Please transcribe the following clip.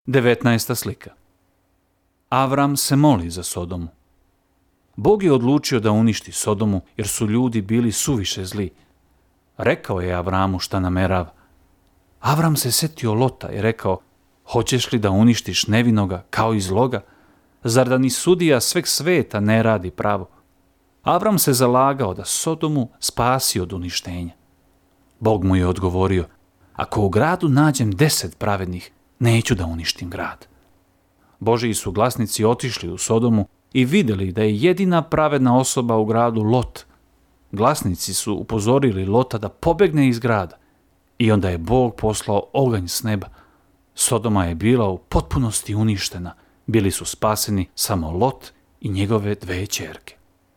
19. slika. Avram se moli za Sodomu. Bog je odlučio da uništi Sodomu jer su ljudi bili suviše zli. Rekao je Avramu šta namerava. Avram se setio Lota i rekao: hoćeš li da uništiš nevinoga kao i zloga? Zar da ni sudija sveg sveta ne radi pravo? Avram se zalagao da Sodomu spasi od uništenja. Bog mu je odgovorio: ako u gradu nađem 10 pravednih, neću da uništim grad. Božji su glasnici otišli u Sodomu i vidjeli da je jedina pravedna osoba u gradu Lot. Glasnici su upozorili Lota da pobegne iz grada i onda je Bog poslao oganj s neba. Sodoma je bila u potpunosti uništena. Bili su spaseni samo Lot i njegove 2 ćerke.